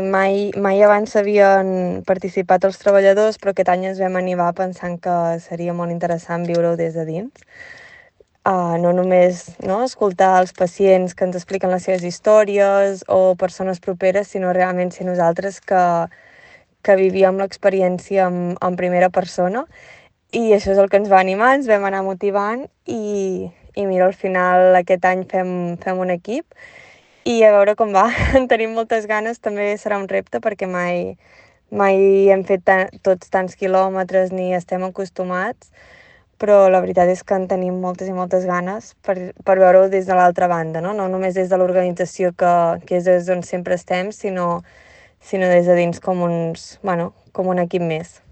Mai abans s'havien participat els treballadors, però aquest any ens vam animar pensant que seria molt interessant viure-ho des de dins. No només escoltar els pacients que ens expliquen les seves històries o persones properes, sinó realment ser nosaltres que vivíem l'experiència en primera persona. I això és el que ens va animar, ens vam anar motivant i mira, al final aquest any fem un equip i a veure com va. En tenim moltes ganes, també serà un repte perquè mai hem fet tots tants quilòmetres ni estem acostumats, però la veritat és que en tenim moltes i moltes ganes per veure-ho des de l'altra banda, no només des de l'organització que és des d'on sempre estem, sinó des de dins com com un equip més.